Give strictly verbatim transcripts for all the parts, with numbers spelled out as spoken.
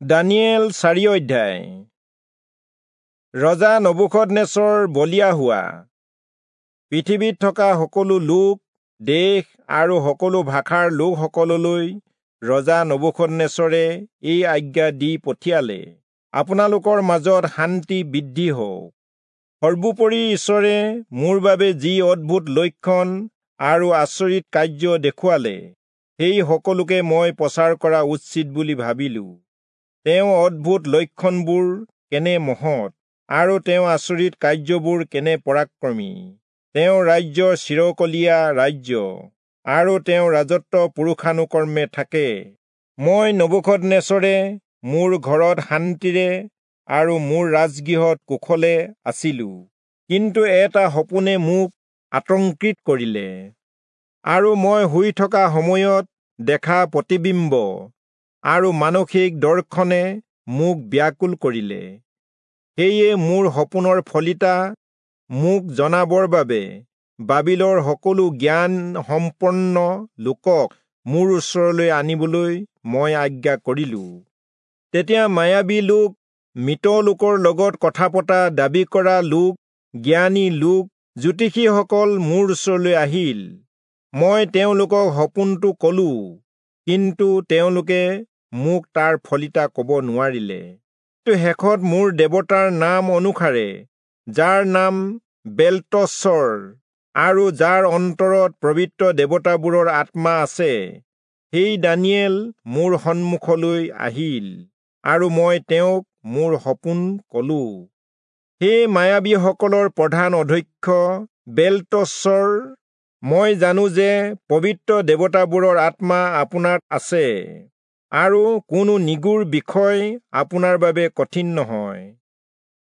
দানিয়েল চাৰি অধ্যায়। ৰজা নবূখদনেচৰ বলিয়া হোৱা। পৃথিৱীত থকা সকলো লোক, দেশ আৰু সকলো ভাষাৰ লোকসকললৈ ৰজা নবূখদনেচৰে এই আজ্ঞা দি পঠিয়ালে, আপোনালোকৰ মাজত শান্তি বৃদ্ধি হওক। সৰ্বোপৰি ঈশ্বৰে মোৰ বাবে যি অদ্ভুত লক্ষণ আৰু আচৰিত কাৰ্য দেখুৱালে, সেই সকলোকে মই প্ৰচাৰ কৰা উচিত বুলি ভাবিলো। তেওঁ অদ্ভুত লক্ষণবোৰ কেনে মহৎ আৰু তেওঁ আচৰিত কাৰ্যবোৰ কেনে পৰাক্ৰমী। তেওঁ ৰাজ্য চিৰকলীয়া ৰাজ্য আৰু তেওঁ ৰাজত্ব পুৰুষানুক্ৰমে থাকে। মই নবূখদনেচৰে মোৰ ঘৰত শান্তিৰে আৰু মোৰ ৰাজগৃহত কুশলে আছিলো, কিন্তু এটা সপোনে মোক আতংকিত কৰিলে আৰু মই শুই থকা সময়ত দেখা প্ৰতিবিম্ব আৰু মানসিক দৰ্শনে মোক ব্যাকুল কৰিলে। সেয়ে মোৰ সপোনৰ ফলিতা মোক জনাবৰ বাবে বাবিলৰ সকলো জ্ঞান সম্পন্ন লোকক মোৰ ওচৰলৈ আনিবলৈ মই আজ্ঞা কৰিলো। তেতিয়া মায়াবী লোক, মৃত লোকৰ লগত কথা পতা দাবী কৰা লোক, জ্ঞানী লোক, জ্যোতিষীসকল মোৰ ওচৰলৈ আহিল। মই তেওঁলোকক সপোনটো কলো, কিন্তু তেওঁলোকে মোক তাৰ ফলিতা কব নোৱাৰিলে। শেষত মোৰ দেৱতাৰ নাম অনুসাৰে, যাৰ নাম বেল্টচৰ আৰু যাৰ অন্তৰত পবিত্ৰ দেৱতাবোৰৰ আত্মা আছে, সেই দানিয়েল মোৰ সন্মুখলৈ আহিল আৰু মই তেওঁক মোৰ সপোন কলো। সেই মায়াবীসকলৰ প্ৰধান অধ্যক্ষ বেল্টচৰ, মই জানো যে পবিত্ৰ দেৱতাবোৰৰ আত্মা আপোনাত আছে আৰু কোনো নিগূঢ় বিষয় আপোনাৰ বাবে কঠিন নহয়।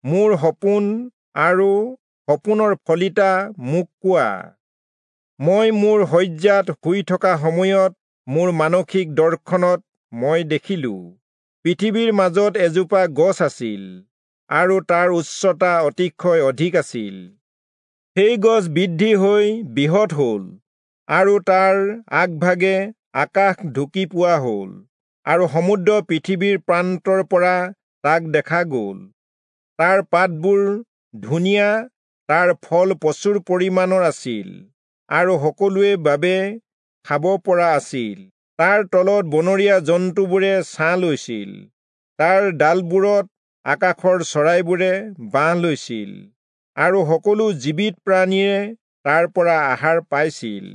মোৰ সপোন আৰু সপোনৰ ফলিতা মোক কোৱা। মই মোৰ শয্যাত শুই থকা সময়ত মোৰ মানসিক দৰ্শনত মই দেখিলো, পৃথিৱীৰ মাজত এজোপা গছ আছিল আৰু তাৰ উচ্চতা অতিশয় অধিক আছিল। সেই গছ বৃদ্ধি হৈ বৃহৎ হল আৰু তাৰ আগভাগে আকাশ ঢুকি পোৱা হল আৰু সমুদ্ৰ পৃথিৱীৰ প্ৰান্তৰ পৰা তাক দেখা গল। তাৰ পাতবোৰ ধুনীয়া, তাৰ ফল প্ৰচুৰ পৰিমাণৰ আছিল আৰু সকলোৰে বাবে খাব পৰা আছিল। তাৰ তলত বনৰীয়া জন্তুবোৰে ছাঁ লৈছিল, তাৰ ডালবোৰত আকাশৰ চৰাইবোৰে বাহ লৈছিল আৰু সকলো জীৱিত প্ৰাণীয়ে তাৰ পৰা আহাৰ পাইছিল।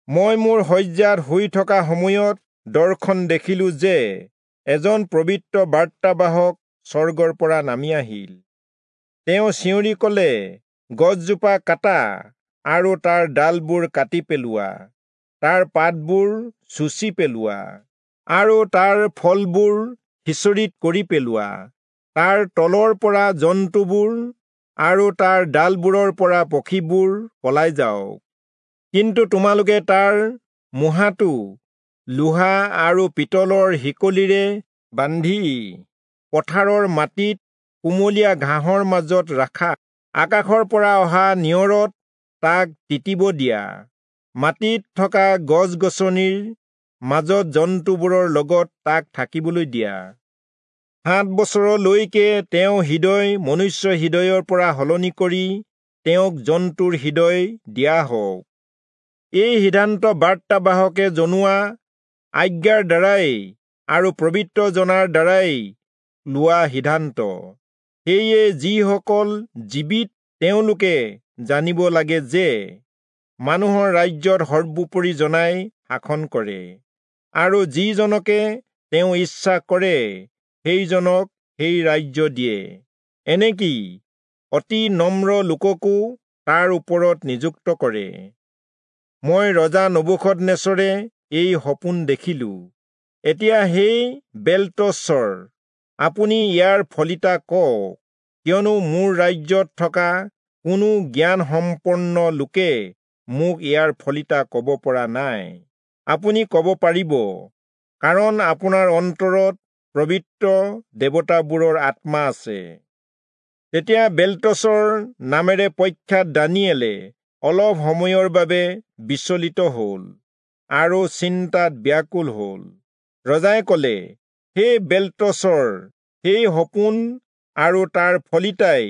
মই মোৰ শয্যাত শুই থকা সময়ত দৰ্শন দেখিলো যে এজন পবিত্ৰ বাৰ্তাবাহক স্বৰ্গৰ পৰা নামি আহিল। তেওঁ চিঞৰি কলে, গছজোপা কাটা আৰু তাৰ ডালবোৰ কাটি পেলোৱা, তাৰ পাতবোৰ চুচি পেলোৱা আৰু তাৰ ফলবোৰ সিঁচৰিত কৰি পেলোৱা। তাৰ তলৰ পৰা জন্তুবোৰ আৰু তাৰ ডালবোৰৰ পৰা পক্ষীবোৰ পলাই যাওক। কিন্তু তোমালোকে তাৰ মুঢ়াটো লোহা আৰু পিতলৰ শিকলিৰে বান্ধি পথাৰৰ মাটিত কুমলীয়া ঘাঁহৰ মাজত ৰাখা। আকাশৰ পৰা অহা নিয়ৰত তাক তিতিব দিয়া। মাটিত থকা গছ গছনিৰ মাজত জন্তুবোৰৰ লগত তাক থাকিবলৈ দিয়া। সাত বছৰলৈকে তেওঁ হৃদয় মনুষ্য হৃদয়ৰ পৰা সলনি কৰি তেওঁক জন্তুৰ হৃদয় দিয়া হওক। এই সিদ্ধান্ত বাৰ্তাবাহকে জনোৱা আজ্ঞাৰ দ্বাৰাই আৰু পবিত্ৰ জনাৰ দ্বাৰাই লোৱা সিদ্ধান্ত। সেয়ে যিসকল জীৱিত তেওঁলোকে জানিব লাগে যে মানুহৰ ৰাজ্যত সৰ্বোপৰি জনাই শাসন কৰে আৰু যিজনকে তেওঁ ইচ্ছা কৰে সেইজনক সেই ৰাজ্য দিয়ে, এনেকি অতি নম্ৰ লোককো তাৰ ওপৰত নিযুক্ত কৰে। মই ৰজা নবূখদনেচৰে এই সপোন দেখিলো। এতিয়া সেই বেল্টচৰ, আপুনি ইয়াৰ ফলিতা কওক, কিয়নো মোৰ ৰাজ্যত থকা কোনো জ্ঞানসম্পন্ন লোকে মোক ইয়াৰ ফলিতা কব পৰা নাই। আপুনি কব পাৰিব, কাৰণ আপোনাৰ অন্তৰত পবিত্ৰ দেৱতাবোৰৰ আত্মা আছে। তেতিয়া বেল্টচৰ নামেৰে প্ৰখ্যাত দানিয়েলে অলপ সময়ৰ বাবে বিচলিত হল আৰু চিন্তাত ব্যাকুল হল। ৰজাই কলে, হে বেল্টচৰ, সেই সপোন আৰু তাৰ ফলিতাই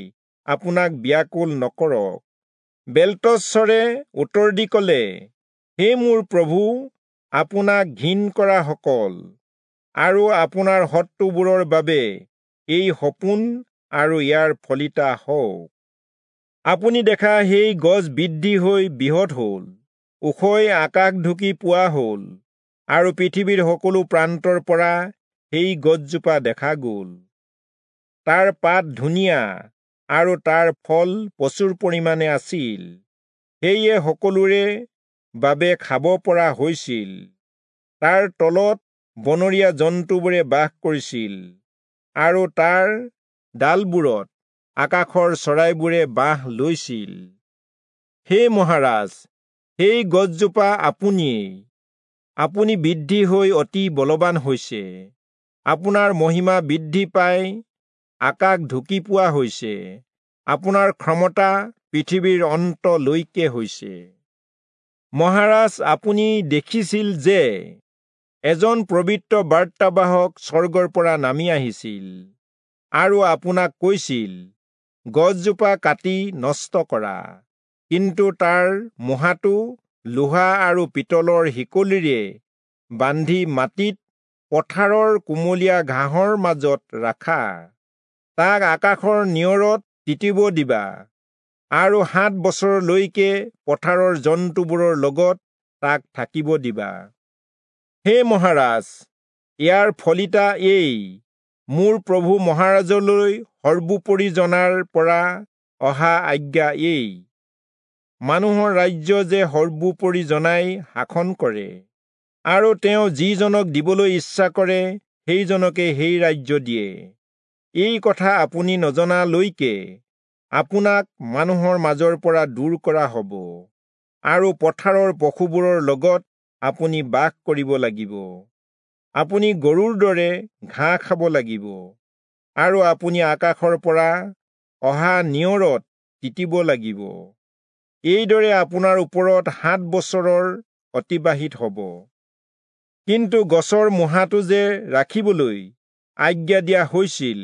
আপোনাক ব্যাকুল নকৰক। বেল্টচৰে উত্তৰ দি কলে, হে মোৰ প্ৰভু, আপোনাক ঘিণ কৰাসকল আৰু আপোনাৰ শত্ৰুবোৰৰ বাবে এই সপোন আৰু ইয়াৰ ফলিতা হওক। আপুনি দেখা সেই গছ বৃদ্ধি হৈ বৃহৎ হল, ওখই আকাশ ঢুকি পোৱা হল, আৰু পৃথিৱীৰ সকলো প্ৰান্তৰ পৰা সেই গছজোপা দেখা গল। তাৰ পাত ধুনীয়া আৰু তাৰ ফল প্ৰচুৰ পৰিমাণে আছিল, সেয়ে সকলোৰে বাবে খাব পৰা হৈছিল। তাৰ তলত বনৰীয়া জন্তুবোৰে বাস কৰিছিল, আৰু তাৰ ডালবোৰত আকাশৰ চৰাইবোৰে বাহ লৈছিল। হে মহাৰাজ, সেই গছজোপা আপুনিয়েই। আপুনি বৃদ্ধি হৈ অতি বলৱান হৈছে, আপোনাৰ মহিমা বৃদ্ধি পাই আকাশ ঢুকি পোৱা হৈছে, আপোনাৰ ক্ষমতা পৃথিৱীৰ অন্তলৈকে হৈছে। মহাৰাজ, আপুনি দেখিছিল যে এজন পবিত্ৰ বাৰ্তাবাহক স্বৰ্গৰ পৰা নামি আহিছিল আৰু আপোনাক কৈছিল, গছজোপা কাটি নষ্ট কৰা, কিন্তু তাৰ মুঢ়াটো লোহা আৰু পিতলৰ শিকলিৰে বান্ধি মাটিত পথাৰৰ কুমলীয়া ঘাঁহৰ মাজত ৰাখা। তাক আকাশৰ নিয়ৰত তিতিব দিবা, আৰু সাত বছৰলৈকে পথাৰৰ জন্তুবোৰৰ লগত তাক থাকিব দিবা। হে মহাৰাজ, ইয়াৰ ফলিতা এই, মোৰ প্ৰভু মহাৰাজলৈ সৰ্বোপৰি জনাৰ পৰা অহা আজ্ঞা এই, মানুহৰ ৰাজ্য যে সৰ্বোপৰি জনাই শাসন কৰে, আৰু তেওঁ যিজনক দিবলৈ ইচ্ছা কৰে সেইজনকে সেই ৰাজ্য দিয়ে। এই কথা আপুনি নজনালৈকে আপোনাক মানুহৰ মাজৰ পৰা দূৰ কৰা হ'ব, আৰু পথাৰৰ পশুবোৰৰ লগত আপুনি বাস কৰিব লাগিব। আপুনি গৰুৰ দৰে ঘাঁহ খাব লাগিব, আৰু আপুনি আকাশৰ পৰা অহা নিয়ৰত তিতিব লাগিব। এইদৰে আপোনাৰ ওপৰত সাত বছৰৰ অতিবাহিত হ'ব। কিন্তু গছৰ মুঢ়াটো যে ৰাখিবলৈ আজ্ঞা দিয়া হৈছিল,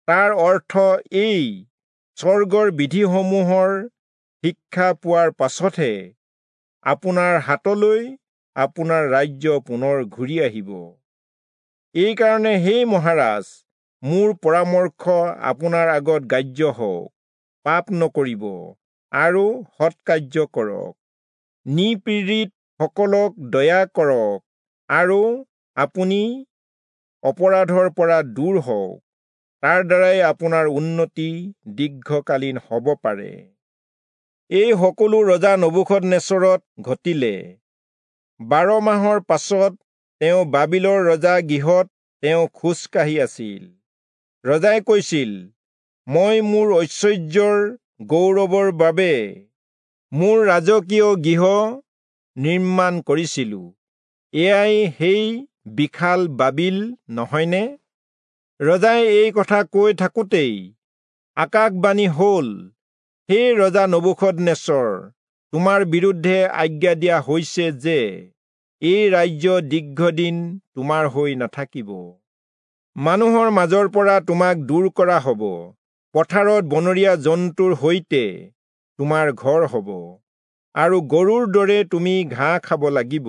তাৰ অৰ্থ এই, স্বৰ্গৰ বিধিসমূহৰ শিক্ষা পোৱাৰ পাছতহে আপোনাৰ হাতলৈ আপোনাৰ ৰাজ্য পুনৰ ঘূৰি আহিব। এইকাৰণে হে মহাৰাজ, মোৰ পৰামৰ্শ আপোনাৰ আগত গ্ৰাহ্য হওক, পাপ নকৰিব আৰু সৎকাৰ্য কৰক, নিপীড়িতসকলক দয়া কৰক, আৰু আপুনি অপৰাধৰ পৰা দূৰ হওক। তাৰ দ্বাৰাই আপোনাৰ উন্নতি দীৰ্ঘকালীন হ'ব পাৰে। এই সকলো ৰজা নবূখদনেচৰত ঘটিলে। বাৰ মাহৰ পাছত তেওঁ বাবিলৰ ৰজা গৃহত তেওঁ খোজকাঢ়ি আছিল। ৰজাই কৈছিল, মই মোৰ ঐশ্বৰ্যৰ গৌৰৱৰ বাবে মোৰ ৰাজকীয় গৃহ নিৰ্মাণ কৰিছিলো, এয়াই সেই বিশাল বাবিল নহয়নে? ৰজাই এই কথা কৈ থাকোঁতেই আকাশবাণী হ'ল, হে ৰজা নবূখদনেচৰ, তোমাৰ বিৰুদ্ধে আজ্ঞা দিয়া হৈছে যে এই ৰাজ্য দীৰ্ঘদিন তোমাৰ হৈ নাথাকিব। মানুহৰ মাজৰ পৰা তোমাক দূৰ কৰা হ'ব, পথাৰত বনৰীয়া জন্তুৰ সৈতে তোমাৰ ঘৰ হ'ব, আৰু গৰুৰ দৰে তুমি ঘাঁহ খাব লাগিব।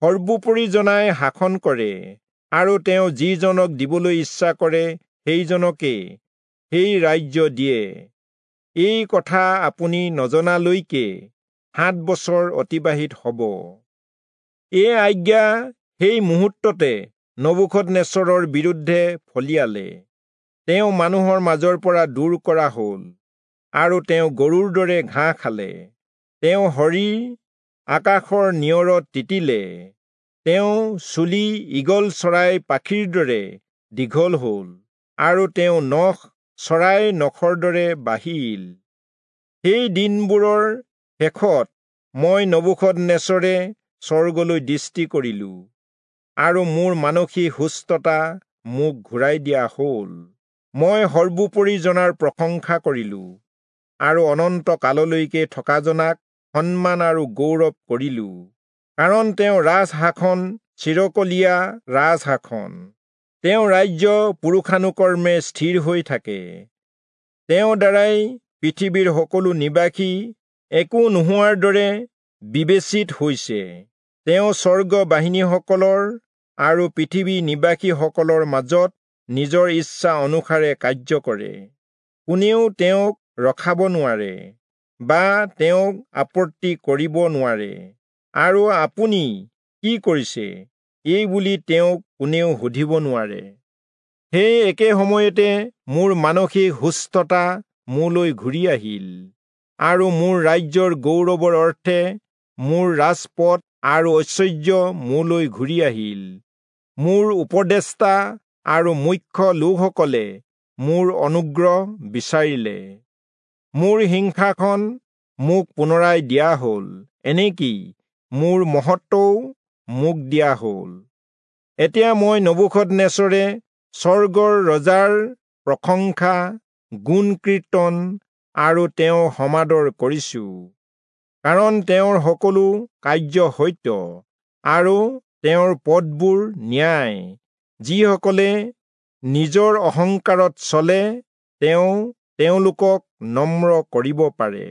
সৰ্বোপৰি জনাই শাসন কৰে, আৰু তেওঁ যিজনক দিবলৈ ইচ্ছা কৰে সেইজনকে সেই ৰাজ্য দিয়ে। এই কথা আপুনি নজনালৈকে সাত বছৰ অতিবাহিত হ'ব। এই আজ্ঞা সেই মুহূৰ্ততে নবূখদনেচৰৰ বিৰুদ্ধে ফলিয়ালে। তেওঁ মানুহৰ মাজৰ পৰা দূৰ কৰা হ'ল, আৰু তেওঁ গৰুৰ দৰে ঘাঁহ খালে। তেওঁ শৰীৰ আকাশৰ নিয়ৰত তিতিলে। তেওঁ চুলি ঈগল চৰাই পাখিৰ দৰে দীঘল হ'ল, আৰু তেওঁ নখ চৰাইৰ নখৰ দৰে বাঢ়িল। সেই দিনবোৰৰ শেষত মই নবূখদনেচৰে স্বৰ্গলৈ দৃষ্টি কৰিলোঁ, আৰু মোৰ মানসিক সুস্থতা মোক ঘূৰাই দিয়া হ'ল। মই সৰ্বোপৰি জনাৰ প্ৰশংসা কৰিলোঁ, আৰু অনন্ত কাললৈকে থকাজনাক সন্মান আৰু গৌৰৱ কৰিলোঁ, কাৰণ তেওঁ ৰাজশাসন চিৰকলীয়া ৰাজশাসন। তেওঁৰ ৰাজ্য পুৰুষানুকৰ্মে স্থিৰ হৈ থাকে। তেওঁৰ দ্বাৰাই পৃথিৱীৰ সকলো নিবাসী একো নোহোৱাৰ দৰে বিবেচিত হৈছে। তেওঁ স্বৰ্গ বাহিনীসকলৰ আৰু পৃথিৱী নিবাসীসকলৰ মাজত নিজৰ ইচ্ছা অনুসাৰে কাৰ্য কৰে। কোনেও তেওঁক ৰখাব নোৱাৰে বা তেওঁক আপত্তি কৰিব নোৱাৰে, আৰু আপুনি কি কৰিছে এই বুলি তেওঁক কোনেও সুধিব নোৱাৰে। সেই একে সময়তে মোৰ মানসিক সুস্থতা মোলৈ ঘূৰি আহিল, আৰু মোৰ ৰাজ্যৰ গৌৰৱৰ অৰ্থে মোৰ ৰাজপথ আৰু ঐশ্বৰ্য মোলৈ ঘূৰি আহিল। মোৰ উপদেষ্টা আৰু মুখ্য লোকসকলে মোৰ অনুগ্ৰহ বিচাৰিলে। মোৰ সিংহাসন মোক পুনৰাই দিয়া হ'ল, এনেকি মোৰ মহত্বও মোক দিয়া হ'ল। এতিয়া মই নবূখদনেচৰে স্বৰ্গৰ ৰজাৰ প্ৰশংসা, গুণ কীৰ্তন আৰু তেওঁ সমাদৰ কৰিছো, কাৰণ তেওঁৰ সকলো কাৰ্য সত্য আৰু তেওঁৰ পথবোৰ ন্যায়। যিসকলে নিজৰ অহংকাৰত চলে, তেওঁ তেওঁলোকক নম্ৰ কৰিব পাৰে।